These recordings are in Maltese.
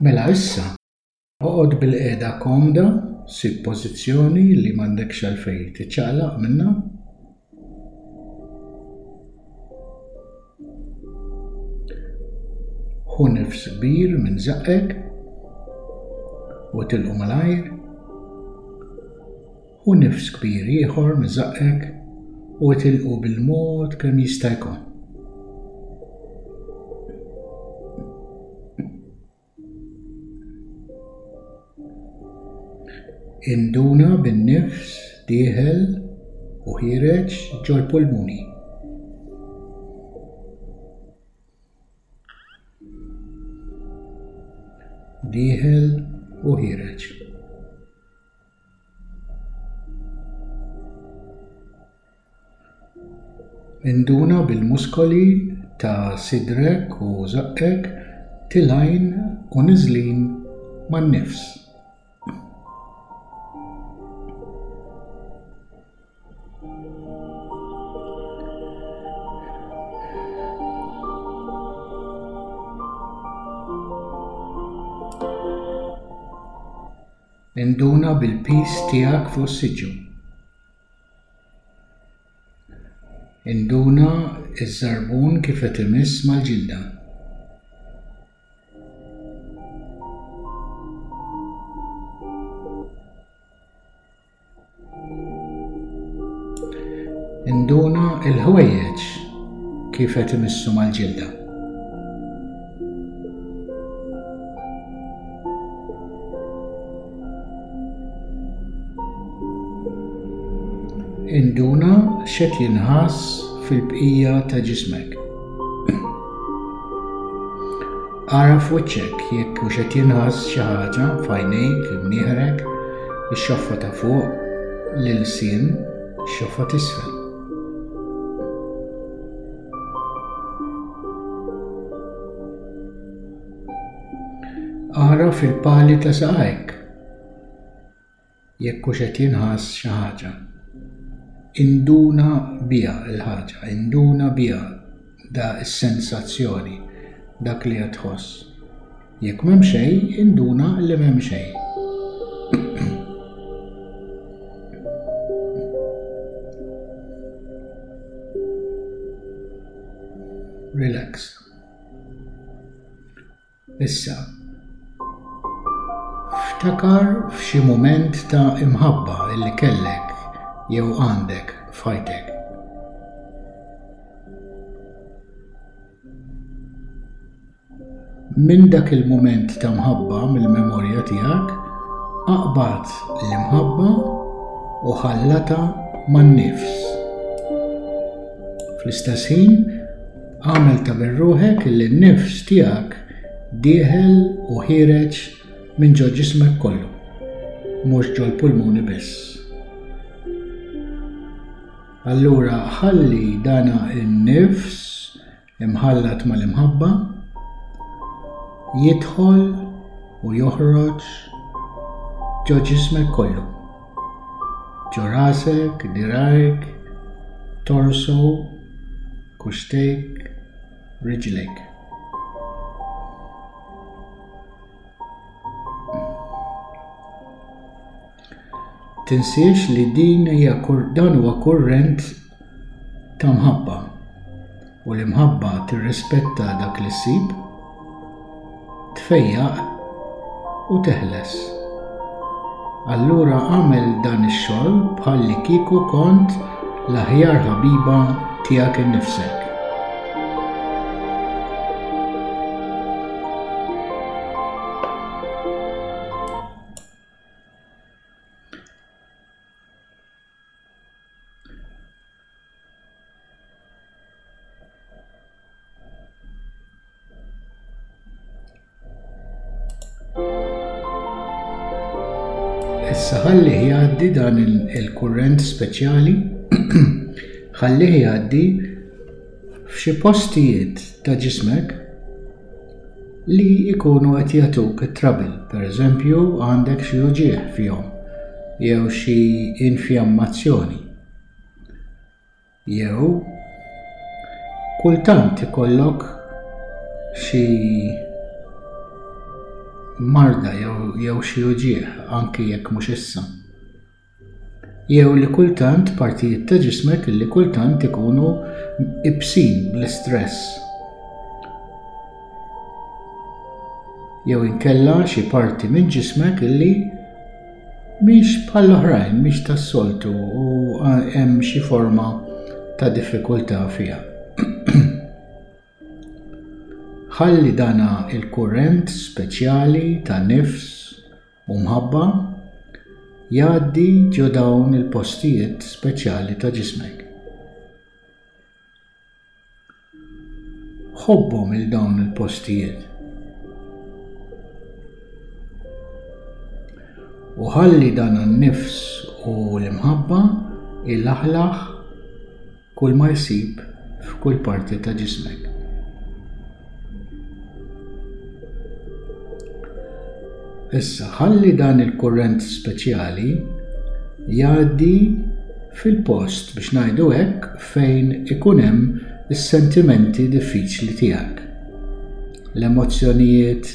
Mela issa, oqgħod bilqiegħda komda, sib pożizzjoni li m'għandekx għalfejn tiċċaqlaq minnha. Ħu nifs kbir minn żaqqek u tilqu malajr. Ħu nifs kbir ieħor minn żaqqek u itilqu bil-mod kemm jista' jkun. Induna bin-nifs dieħel u ħiereġ ġol-pulmuni. Dieħel u ħiereġ. Induna bil-muskoli ta' sidrek u żaqqek tilgħin u niżlin man-nifs. Induna bil-piż tiegħek fuq is-siġġu. Induna ż-żarbun kif qed imiss mal-ġilda. Induna l-ħwejjeġ kif qed imissu mal-ġilda. Induna x'qed jinħass fil-bqija ta' ġismek. Ara f'wiċċek jekk hux qed jinħass xi ħaġa f'għajnejk, imnieħrek, ix-xoffa ta' fuq, l-ilsien, ix-xoffa t'isfel. Ara fil-pali ta' saqajk jekk hux qed jinħass xi ħaġa. Induna biha l-ħaġa, induna biha da s-sensazzjoni, dak li qed tħoss. Jekk m'hemm xejn, induna li m'hemm xejn. Relax. Issa, ftakar f'xi mument ta' imħabba li kellek jew għandek f'ħajtek. Minn dak il-mument ta' mħabba mill-memorja tiegħek, aqbad l-imħabba u ħallatha man-nifs. Fl-istess ħin, Agħmel ta' bir-ruħek illi n-nifs tiegħek dieħel u ħiereġ minn ġo ġismek kollu, mhux ġol-pulmuni biss. Allura ħalli dana n-nifs imħallat mal-imħabba jidħol u joħroġ ġo ġismek kollu. Ġo rasek, dirajk, torso, Kuxtejk, riġlejk. Tinsiex li din hija dan huwa kurrent ta' mħabba u l-imħabba tirrispetta dak li ssib, tfejjaq u teħles. Allura agħmel dan ix-xogħol bħallikieku kont l-aħjar ħabiba tiegħek innifsek. Issa ħallih jgħaddi dan il-kurrent speċjali, ħallih jgħaddi f'xi postijiet ta' ġismek li jkunu qed jagħtuk it-trouble, pereżempju għandek xi uġigħ fihom jew xi infjammazzjoni. Jew kultant ikollok xi. marda jew jew xi uġigħ anki jekk mhux issa. Jew li kultant partijiet ta' ġismek li kultant ikunu ibsin bl-istress. Jew inkella xi parti minn ġismek illi mhix bħall-oħrajn, mhix tas-soltu u hemm xi forma ta' diffikultà fiha. Ħalli dana il-kurrent speċjali ta' nifs u mħabba jgħaddi ġo dawn il-postijiet speċjali ta' ġismek. Ħobbhom 'il dawn il-postijiet. U ħalli dan in-nifs u l-imħabba ilaħlaħ kull ma jsib f'kull parti ta' ġismek. Issa ħalli dan il-kurrent speċjali jgħaddi fil-post biex ngħidu hekk fejn ikun hemm is-sentimenti diffiċli tiegħek. L-emozzjonijiet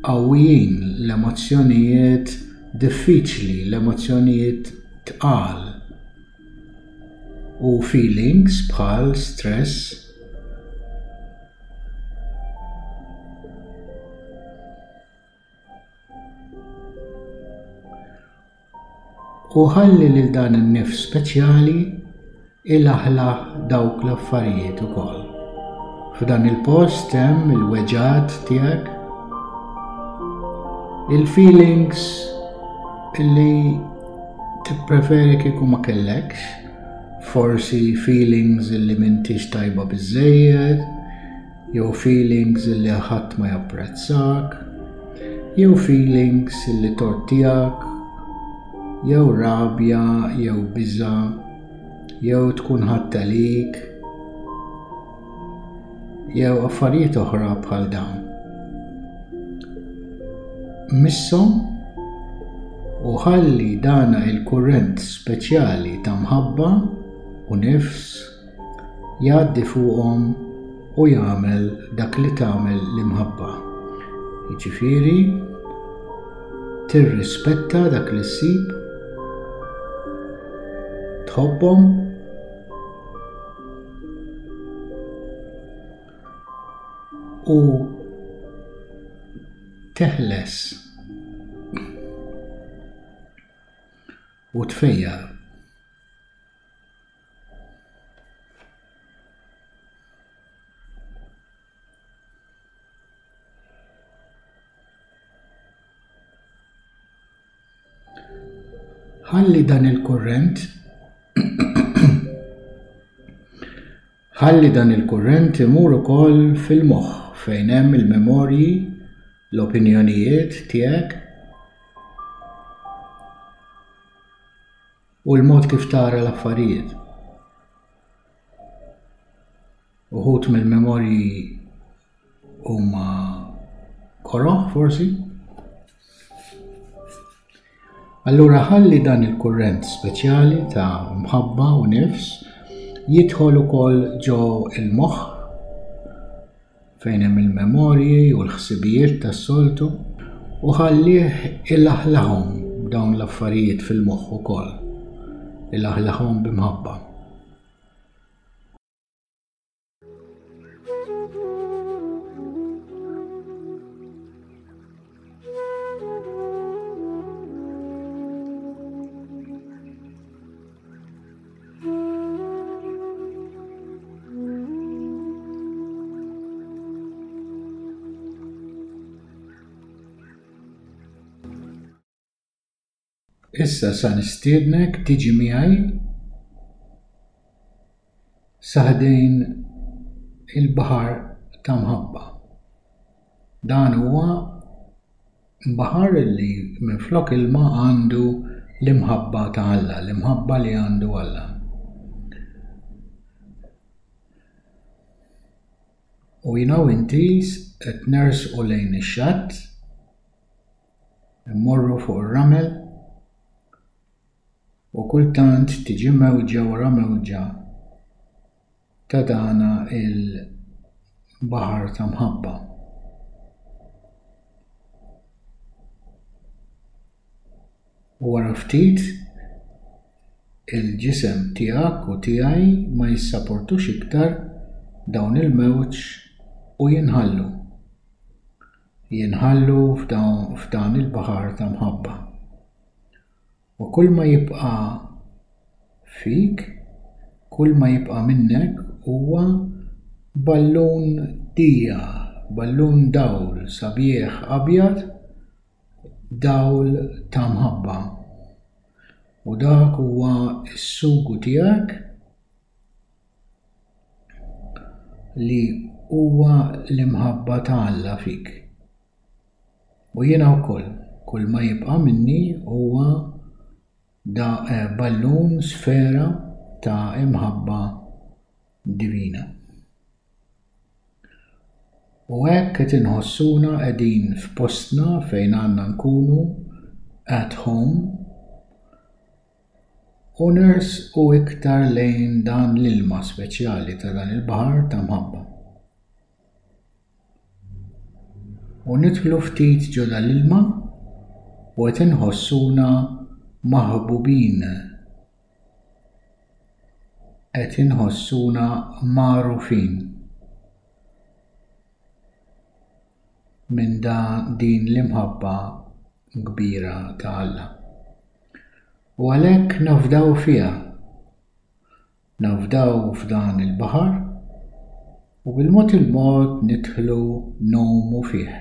qawwijin, l-emozzjonijiet diffiċli, l-emozzjonijiet tqal u feelings bħal stress, U ħalli lil dan in-nifs speċjali ilaħlaħ dawk l-affarijiet ukoll. F'dan il-post hemm il-weġgħat tiegħek, il-feelings illi tippreferi kieku ma kellekx, forsi feelings illi m'intix tajba biżżejjed, jew feelings illi ħadd ma japprezzak, jew feelings illi tort tiegħek, jew rabja, jew biża', jew tkun ħadd għalik, jew affarijiet oħra bħal dawn. Misshom u ħalli dana il-kurrent speċjali ta' mħabba u nifs jgħaddi fuqhom u jagħmel dak li tagħmel l-imħabba. Jiġifieri tirrispetta dak li ssib, tħobbhom u teħles u tfejjaq. Ħalli dan il-kurrent Ħalli dan il-kurrent imur ukoll fil-moħħ fejn hemm il-memorji, l-opinjonijiet tiegħek u l-mod kif tara l-affarijiet. Uħud mill-memorji huma koroh forsi. Allura ħalli dan il-kurrent speċjali ta' mħabba u nifs jidħol ukoll ġo il-moħħ fejn hemm il-memorji u l-ħsibijiet tas-soltu u ħallih ilaħlaħhom dawn l-affarijiet fil-moħħ ukoll. Ilaħlaħhom b'imħabba. Issa sa nistiednek tiġi miegħi sa ħdejn il-baħar ta' mħabba. Dan huwa baħar li minflok ilma għandu l-imħabba ta' Alla, l-imħabba li għandu Alla. U jiena u inti qed nersqu lejn ix-xatt, immorru fuq ir-ramel u kultant tiġi mewġa wara mewġa ta' dana il-baħar ta' mħabba. U wara ftit il-ġisem tiegħek u tiegħi ma jissaportux iktar dawn il-mewġ u jinħallu. Jinħallu f'dan il-baħar ta' mħabba. U kull ma jibqa' fik, kull ma jibqa' minnek huwa ballun dija, ballun dawl sabiħ abjad, dawl ta' mħabba. U dak huwa s-sugu tiegħek li huwa l-imħabba ta' Alla fik. U jiena wkoll, kull ma jibqa' minni huwa da eh, ballun sfera ta' imħabba divina. U hekk qed inħossuna qegħdin f'postna fejn għandna nkunu at home u nersqu iktar lejn dan l-ilma speċjali ta' dan il-baħar ta' mħabba. U nidħlu ftit ġo dal-ilma u qed inħossuna maħbubin. Qed inħossuna magħrufin minn da din l-imħabba kbira ta' Alla. U għalhekk nafdaw fiha. Nafdaw f'dan il-baħar u bil-mod il-mod nidħlu ngħumu fih.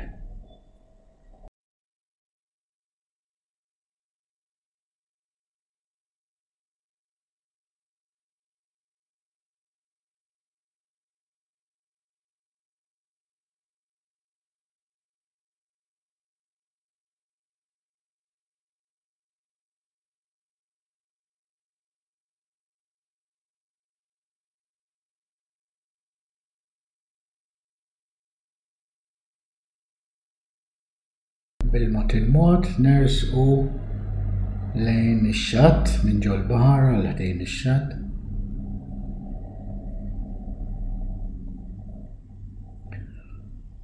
Bil-mod il-mod nersqu lejn ix-xatt minn ġol-baħar għal ħdejn ix-xatt.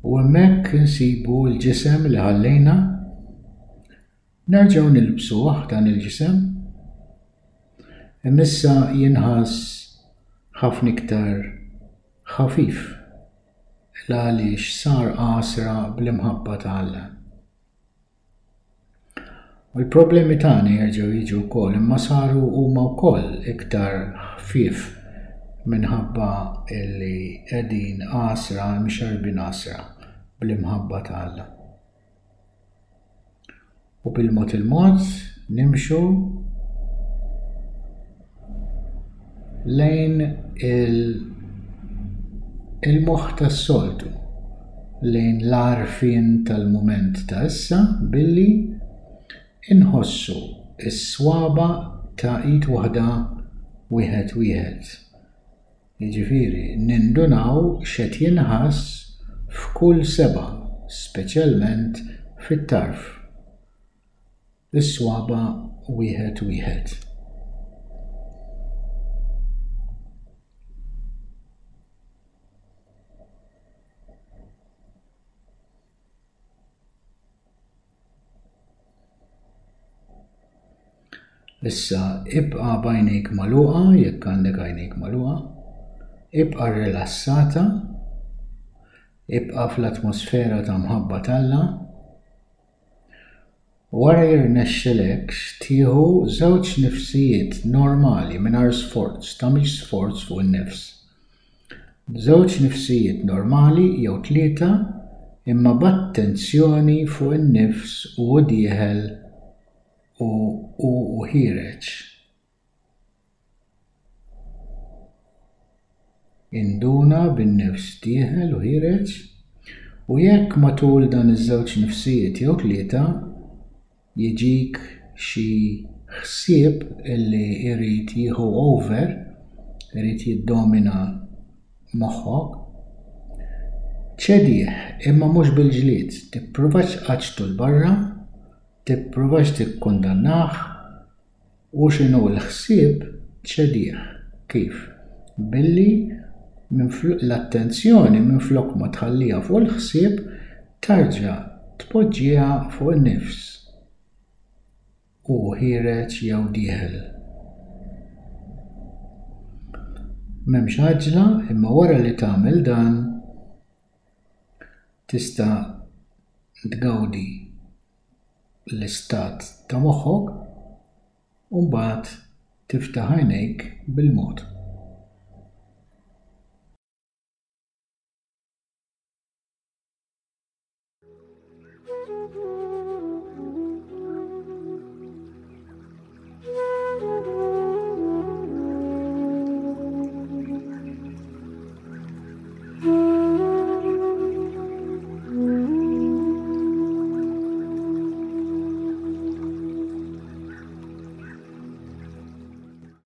U hemmhekk insibu l-ġisem li ħallejna Nerġgħu nilbsuh dan il-ġisem. Imma issa jinħass ħafna iktar ħafif l-għaliex sar għasra bl-imħabba ta' Alla. U l-problemi tagħna jerġgħu jiġu wkoll imma saru huma wkoll iktar ħfief minħabba li qegħdin għasra mxarrbin għasra bl-imħabba ta' Alla. U bil-mod il-mod nimxu lejn il-moħħ tas-soltu, lejn l-għarfien tal-mument ta' issa billi inħossu s-swaba' ta' id waħda wieħed wieħed. Jiġifieri nindunaw x'qed jinħass f'kull sebgħa, speċjalment fit-tarf, is-swaba' wieħed wieħed. Issa ibqa' b'għajnejk magħluqa jekk għandek għajnejk magħluqa. Ibqa' rilassata. Ibqa' fl-atmosfera ta' mħabba t'Alla. Wara jirnexxilekx tieħu żewġ nifsijiet normali mingħajr sforz, tagħmilx sforz fuq in-nifs. Żewġ nifsijiet normali jew tlieta imma b'attenzjoni fuq in-nifs u hu dieħel u hu ħiereġ. Induna bin-nifs dieħel u ħiereġ u jekk matul dan iż-żewġ nifsijiet jew tlieta jiġik xi ħsieb illi jrid jieħu over, irid jiddomina moħħok, ċedih imma mhux bil-ġlied, tippruvax tqaċċtu 'l barra, tippruvax tikkundannah, u x'inhu l-ħsieb ċedih. Kif? Billi l-attenzjoni minflok ma tħalliha fuq il-ħsieb tarġa' tpoġġiha fuq in-nifs. hu ħiereġ jew dieħel. M'hemmx għaġla imma wara li tagħmel dan tista' tgawdi l-istat ta' moħħok u mbagħad tiftaħ għajnejk bil-mod.